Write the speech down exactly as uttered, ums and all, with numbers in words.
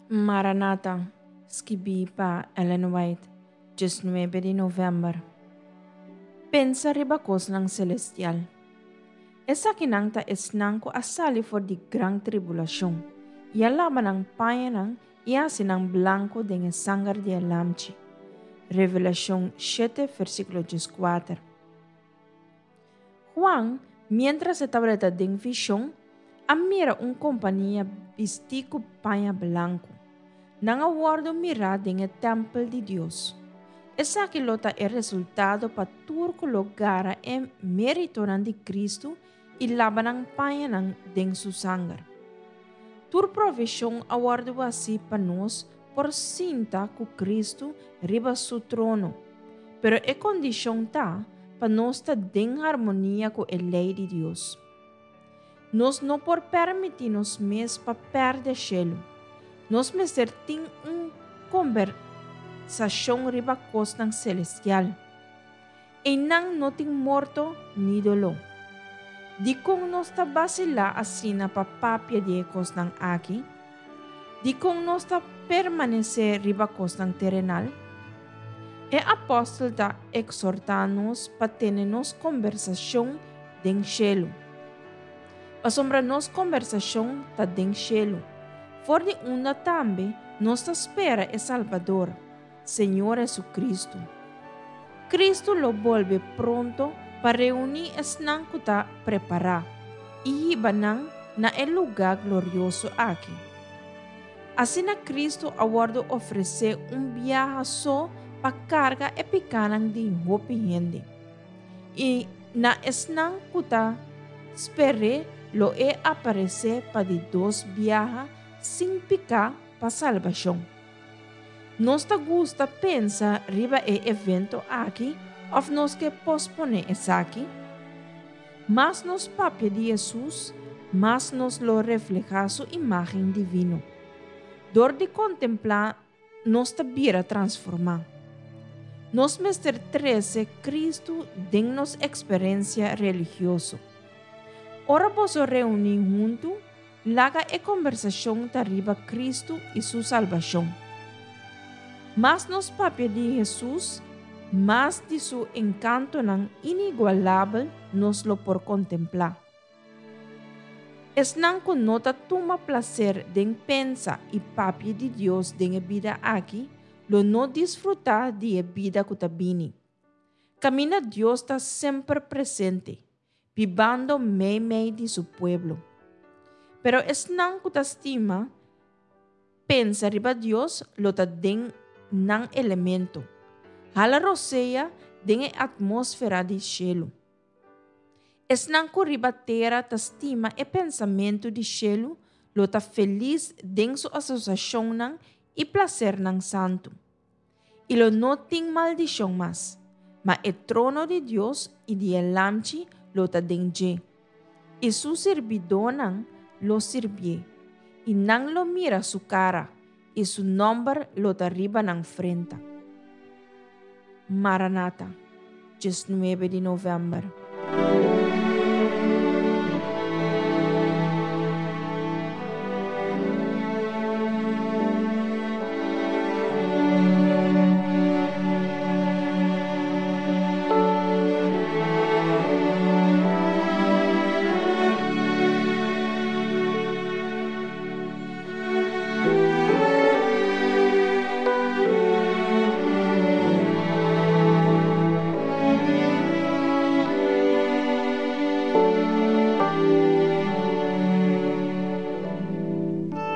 Maranata, skibí pa Ellen White, diesnuebe di novèmber. Pensa riba kosnan selestial. Esakinan ta esnan ku a sali for di gran tribulashon, i a laba nan pañanan i a hasi nan blanku den e sanger di e Lamchi. Revelashon shete versíkulo dieskuater. Juan, miéntras e tabata den vishon, a mira un kompania bistí ku paña blanku. Nan a wòrdu mirá den e tèmpel di Dios. Esaki lo ta e resultado pa tur ku lo gara e méritonan di Kristu i laba nan pañanan den su sanger. Tur provishon a wòrdu hasí pa nos por sinta ku Kristu riba su trono. Pero e kondishon ta pa nos ta den harmonia ku e lei di Dios. Nos no por permití nos mes pa pèrdè shelu. Nos mester tin un kombersashon riba kosnan selestial. Einan no tin morto ni doló. Dikon nos ta vasilá asina pa papia di e kosnan aki? Dikon nos ta permanesé riba kosnan terenal? E apòstel ta ekshortá nos pa tene nos kombersashon den shelu. Pasobra nos kombersashon ta den shelu. For di unda tambe nos ta spera e Salbador, Señor Jesucristo. Cristo lo bolbe pronto pa reuní esnan ku ta prepará i hiba nan na e lugá glorioso aki. Asina Cristo a wòrdu ofresé un biaha so pa karga e pikánan di hopi hende. I na esnan ku ta sper'é lo e aparesé pa di dos biaha sin piká pa salbashon. Nos ta gusta pensa riba e evento aki òf nos ke posponé esaki? Mas nos papia di Hesus, mas nos lo reflehá su imágen divino. Dor di kontemplá nos ta bira transformá. Nos mester trese Kristu den nos eksperensia religioso. Ora boso reuní huntu, laga e kombersashon ta riba Kristu i su salbashon. Mas nos papia di Hesus, mas di su enkantonan inigualabel nos lo por kontemplá. Esnan ku no ta tuma plaser den pensa i papia di Dios den e bida aki, lo no disfrutá di e bida ku ta bini. Kaminda Dios ta semper presente, bibando meimei di su pueblo. Pero esnan ku ta stima pensa riba Dios lo ta den nan elemento. Hala rosea den e atmósfera di shelu. Esnan ku riba tera ta stima e pensamentu di shelu lo ta felis den su asosiashonnan i plasernan santu. I lo no tin maldishon mas, ma e trono di Dios i di e Lamchi lo ta den dje. I su sirbidónan lo sirbié, i nan lo mira su kara, i su nòmber lo ta riba nan frenta. Maranata, diesnuebe di novèmber.